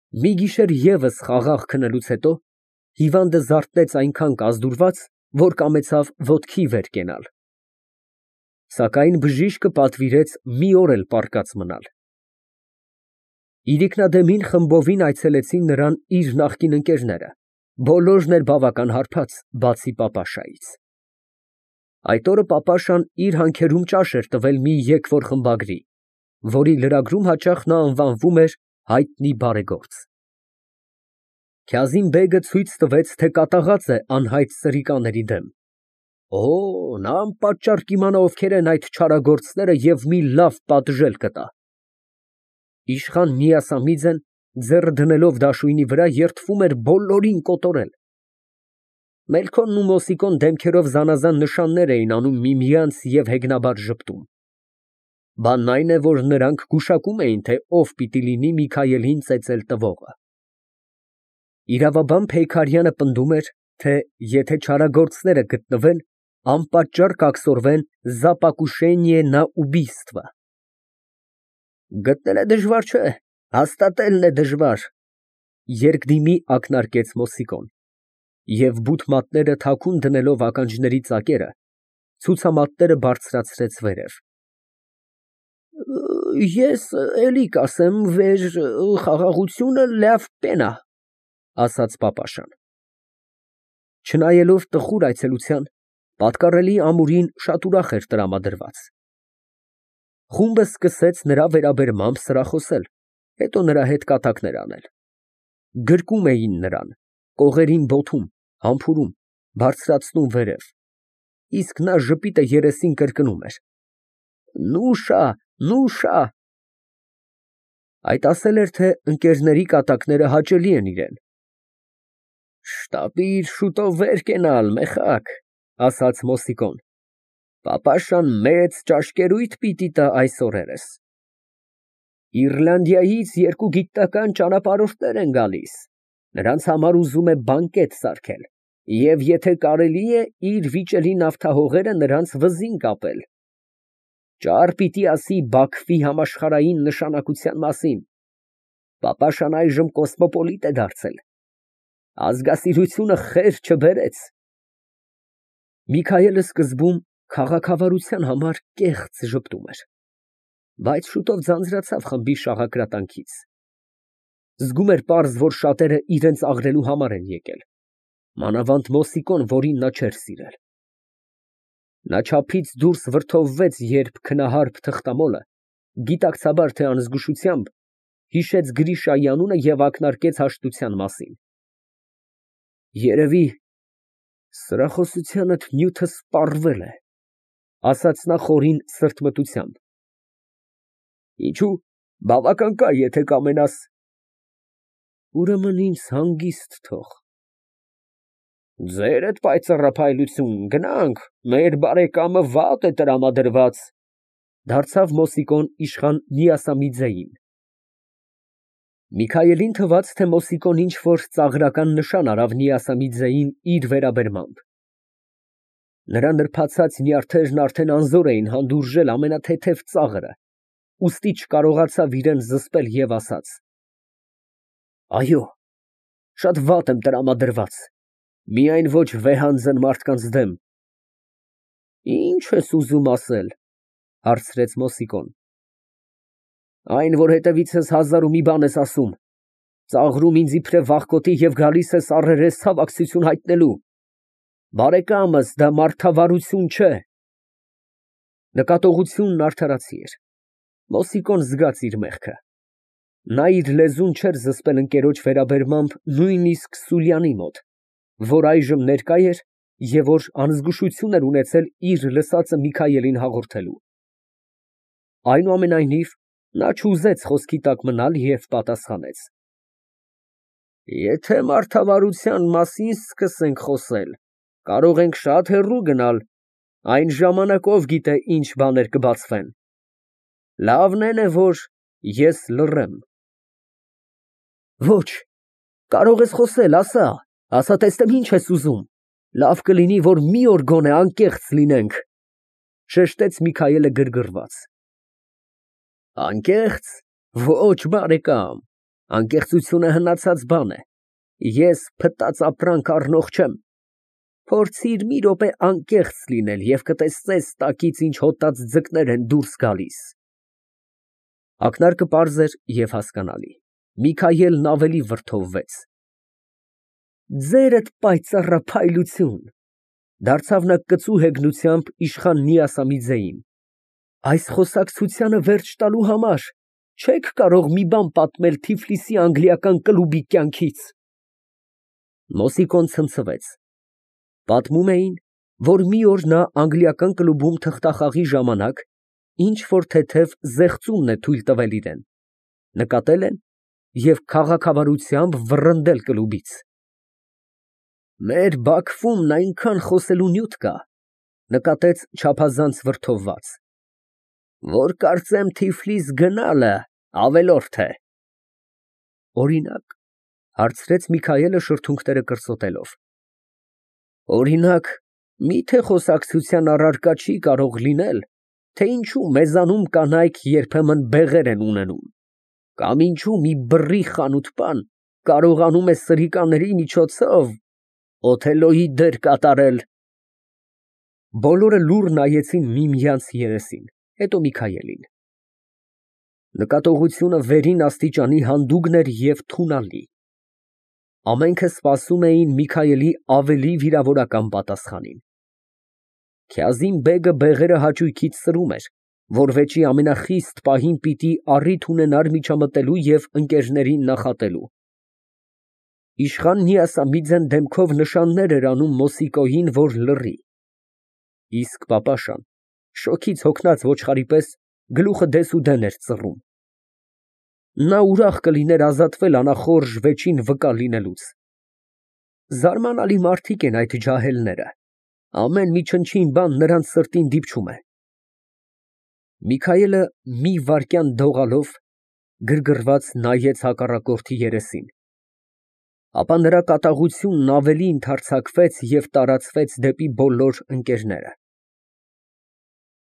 Մի գիշեր ևս խաղաղ քնելուց հետո հիվանդը զարթնեց այնքան կազդուրված, որ կամեցավ ոտքի վեր կենալ, սակայն բժիշկը պատվիրեց մի օր էլ պառկած մնալ։ Իրիկնադեմին խմբովին այցելեցին նրան իր նախկին ընկերները, բոլորն էլ բավական հարբած, բացի պապաշայից։ Այդ օրը պապաշան իր հանքերում ճաշ էր տվել մի եկվոր խմբագրի, որի լրագրում հաճախ նա անվանվում էր հայտնի բարեգործ։ Քազիմ֊բեգը ցույց տվեց, թե կատաղած է անհայտ սրիկաների դեմ։ Նա անպատճառ կիմանա ովքեր են այդ չարագործները և մի լավ պատժել կտա։ Իշխան Միասամիձեն, ձեռը դնելով դաշույնի վրա, երդվում էր բոլորին կոտորել։ Մելքոնն ու Մոսիկոն դեմքերով զանազան նշաններ էին անում միմյանց և հեգնաբար ժպտում։ Բանն այն է, որ նրանք գուշակում էին, թե ով պիտի լինի Միքայելին ծեծել տվողը։ Իրավաբան Փեյքարյանը պնդում էր, թե եթե չարագործները գտնվեն, անպատճառ կաքսորվեն «за покушение на убийство»։ Գտնելը դժվար չէ, հաստատելն է դժվար, երկդիմի ակնարկեց Մոսիկոն և բութ մատները թաքուն դնելով ականջների ծակերը, ցուցամատները բարձրացրեց վերև։ Ես էլի կասեմ, վեր խաղաղությունը լավ բան ա, ասաց պապաշան։ Չնայելով տխուր այցելության, պատկառելի ամուրին շատ ուրախ էր տրամադրված։ Խումբը սկսեց նրա վերաբերմամբ սրախոսել, հետո նրա հետ կատակներ անել։ Գրկում էին նրան, կողերին բոթում, համբուրում, բարձրացնում վերև, իսկ նա ժպիտը երեսին կրկնում էր. «Նուշա, նուշա»։ Այդ ասել էր, թե ընկերների կատակները հաճելի են իրան։ «Շտապիր շուտով վեր կենալ, մեխակ», ասաց Մոսիկոն։ «Պապաշան մեծ ճաշկերույթ պիտի տա այս օրերս։ Իռլանդիայից երկու գիտնական ճանապարհորդներ են գալիս, նրանց համար ուզում է բանկետ սարքել և եթե կարելի է, իր վիճելի նավթահողերը նրանց վզին կապել։ Ճար պիտի ասի Բաքվի համաշխարհային նշանակության մասին։ Պապաշան այժմ կոսմոպոլիտ է դարձել, ազգասիրությունը խեր չբերեց»։ Միքայելը սկզբում քաղաքավարության համար կեղծ ժպտում էր, բայց շուտով ձանձրացավ խմբի շաղակրատանքից։ Զգում էր պարզ, որ շատերը իրենց աղրելու համար են եկել, մանավանդ Մոսիկոն, որին նա չէր սիրել։ Նա չափից դուրս վրդովվեց, երբ քնահարբ թղթամոլը, գիտակցաբար թե անզգուշությամբ, հիշեց Գրիշայի անունը և ակնարկեց հաշտության մասին։ Երևի սրախոսությանդ նյութը սպառվել է, ասաց նա խորին սրտմտությամբ։ Ինչո՞ւ, բավական կա, եթե կամենաս։ Ուրեմն ինձ հանգիստ թող։ Ձերդ պայծառափայլություն, գնանք, մեր բարեկամը վատ է տրամադրված, դարձավ Մոսիկոն իշխան Միասամիձեին։ Միքայելին թվաց, թե Մոսիկոն ինչ֊որ ծաղրական նշան արավ Միասամիձեին իր վերաբերմամբ։ Նրա նրբացած նյարդերն արդեն անզոր էին հանդուրժել ամենաթեթև ծաղրը, ուստի չկարողացավ իրան զսպել և ասաց. Այո, շատ վատ եմ տրամադրված, միայն ոչ վեհանձն մարդկանց դեմ։ Ի՞նչ ես ուզում ասել, հարցրեց Մոսիկոն։ Այն, որ հետևիցս հազար ու մի բան ես ասում, ծաղրում ինձ իբրև վախկոտի և գալիս ես առերես ցավակցություն հայտնելու։ Բարեկամս, դա մարդավարություն չէ։ Նկատողությունն արդարացի էր։ Մոսիկոն զգաց իր մեղքը։ Նա իր լեզուն չէր զսպել ընկերոջ վերաբերմամբ նույնիսկ Սուլյանի մոտ, որ այժմ ներկա էր և որ անզգուշություն էր ունեցել իր լսածը Միքայելին հաղորդելու։ Այնուամենայնիվ, նա չուզեց խոսքի տակ մնալ և պատասխանեց. Եթե մարդավարության մասին սկսենք խոսել, կարող ենք շատ հեռու գնալ, այն ժամանակ ով գիտե ինչ բաներ կբացվեն։ Լավն է, որ ես լռեմ։ Ոչ, կարող ես խոսել, ասա, տեսնեմ ինչ ես ուզում, լավ կլինի, որ մի օր գոնե անկեղծ լինենք, շեշտեց Միքայելը գրգռված։ Անկեղծ, ոչ, բարեկամ, Անկեղծությունը հնացած բան է։ Ես փտած ապրանք առնող չեմ։ Փորձիր մի րոպե անկեղծ լինել և կտեսնես տակից ինչ հոտած ձկներ են դուրս գալիս։ Ակնարկը պարզ էր և հասկանալի։ Միքայելն ավելի վրդովվեց։ Ձերդ պայծառափայլություն, դարձավ նա կծու հեգնությամբ իշխան Նիասամիձեին, այս խոսակցությանը վերջ տալու համար չեք կարող մի բան պատմել Թիֆլիսի անգլիական կլուբի կյանքից։ Մոսիկոն ցնցվեց։ Պատմում էին, որ մի օր նա անգլիական կլուբում թղթախաղի ժամանակ ինչ որ թեթև զեղծումն է թույլ տվել իրան, նկատել են և քաղաքավարությամբ վռնդել կլուբից։ Մեր Բաքվում այնքան խոսելու նյութ կա, նկատեց չափազանց վրդովված, որ կարծեմ Թիֆլիս գնալը ավելորդ է։ Օրինակ, հարցրեց Միքայելը շրթունքները կրծոտելով։ Օրինակ, միթե խոսակցության առարկա չի կարող լինել, թե ինչու մեզանում կանայք երբեմն բեղեր են ունենում, կամ ինչու մի բռի խանութպան կարողանում է սրիկաների միջոցով Օթելլոյի դեր կատարել։ Բոլորը լուռ նայեցին միմյանց երեսին, հետո Միքայելին։ Նկատողությունը վերին աստիճանի հանդուգն էր և թունալի։ Ամենքը սպասում էին Միքայելի ավելի վիրավորական պատասխանին։ Քյազիմ֊բեգը բեղերը հաճույքից սրում էր, որ վեճի ամենախիստ պահին պիտի առիթ ունենար միջամտելու և ընկերներին նախատելու։ Իշխան Նիասամիձեն դեմքով նշաններ էր անում Մոսիկոյին, որ լռի, իսկ պապաշան շոգից հոգնած ոչխարի պես գլուխը դեսուդեն էր ծռում։ Նա ուրախ կլիներ ազատվել անախորժ վեճին վկա լինելուց։ Զարմանալի մարդիկ են այդ ջահելները, ամեն մի չնչին բան նրանց սրտին դիպչում է։ Միքայելը մի վայրկյան դողալով գրգռված նայեց հակառակորդի երեսին, ապա նրա կատաղությունն ավելի ընդհարձակվեց և տարածվեց դեպի բոլոր ընկերները։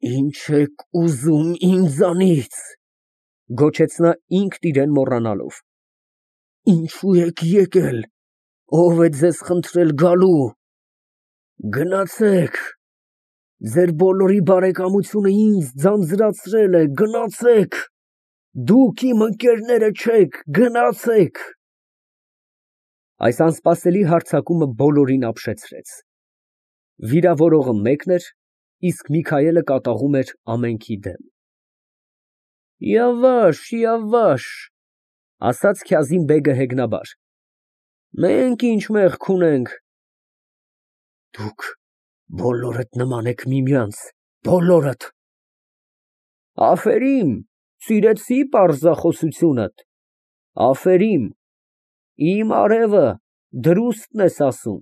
Ի՞նչ եք ուզում ինձանից, գոչեց նա ինքն իրեն մոռանալով։ Ինչու եք եկել, ով է ձեզ խնդրել գալու։ Գնացեք, ձեր բոլորի բարեկամությունը ինձ ձանձրացրել է, գնացեք, դուք իմ ընկերները չեք, գնացեք։ Այս անսպասելի հարձակումը բոլորին ապշեցրեց։ Վիրավորողը մեկն էր, իսկ Միքայելը կատաղում էր ամենքի դեմ։ Yavaş, ասաց Քյազիմ֊բեգը հեգնաբար, մենք ինչ մեղք ունենք։ Դուք բոլորդ նման եք միմյանց, բոլորդ։ Աֆերիմ, սիրեցի պարզախոսությունդ, աֆերիմ, իմ արևը, դրուստն ես ասում։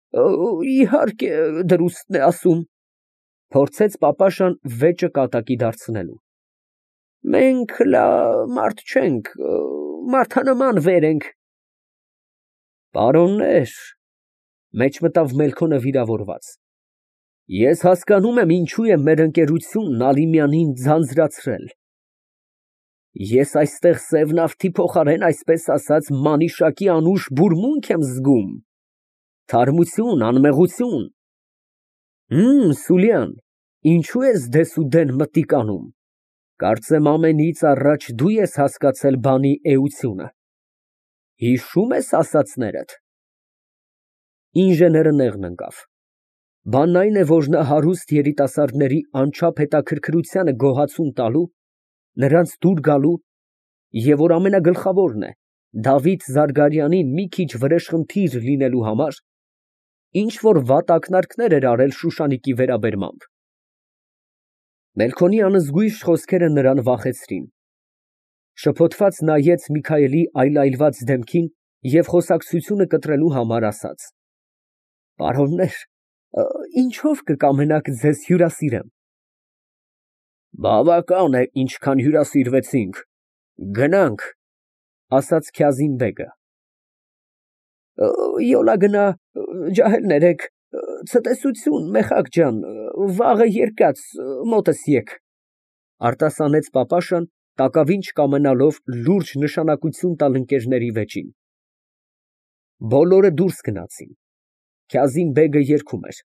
Իհարկե, դրուստն է ասում, փորձեց պապաշան վեճը կատակի դարձնելու։ Մենք մարդ չենք, մարդանման վեր ենք։ Պարոններ, մեջ մտավ Մելքոնը վիրավորված, ես հասկանում եմ ինչու է մեր ընկերությունն Ալիմյանին ձանձրացրել։ Ես այստեղ սևնավթի փոխարեն, այսպես ասած, մանիշակի անուշ բուրմունք եմ զգում, թարմություն, անմեղություն։ Սուլյան, ինչու ես դեսուդեն մտիկ անում, կարծեմ ամենից առաջ դու ես հասկացել բանի էությունը, հիշում ես ասածներդ։ Ինժեները նեղն ընկավ։ Բանն այն է, որ նա հարուստ երիտասարդների անչափ հետաքրքրությանը գոհացում տալու, նրանց դուր գալու և որ ամենագլխավորն է, Դավիթ Զարգարյանին մի քիչ վրեժխնդիր լինելու համար, ինչ որ վատ ակնարկներ էր արել Շուշանիկի վերաբերմամբ։ Մելքոնի անզգույշ խոսքերը նրան վախեցրին։ Շփոթված նայեց Միքայելի այլայլված դեմքին և խոսակցությունը կտրելու համար ասաց. Պարոններ, ինչով կկամենաք ձեզ հյուրասիրեմ։ Բավական է, ինչքան հյուրասիրվեցինք, գնանք, ասաց Քյազիմ֊բեգը։ Յոլա գնա, ջահելներ եք, ցտեսություն, Մեխակ ջան, վաղ է երկաց, մոտս եկ, արտասանեց պապաշան, Տակավին չկամենալով լուրջ նշանակություն տալ ընկերների վեճին։ Բոլորը դուրս գնացին։ Քազիմ֊բեգը երգում էր.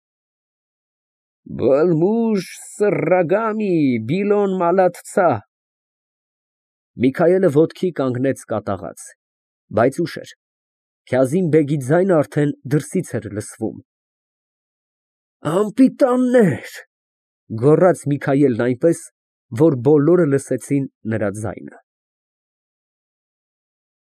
Բլմուժ սռռագամի բիլոն մալաթցա։ Միքայելը ոտքի կանգնեց կատաղած, բայց ուշ էր, Քազիմ֊բեգի ձայնը արդեն դրսից էր լսվում։ Անպիտաններ, գոռաց Միքայելն այնպես, որ բոլորը լսեցին նրա ձայնը։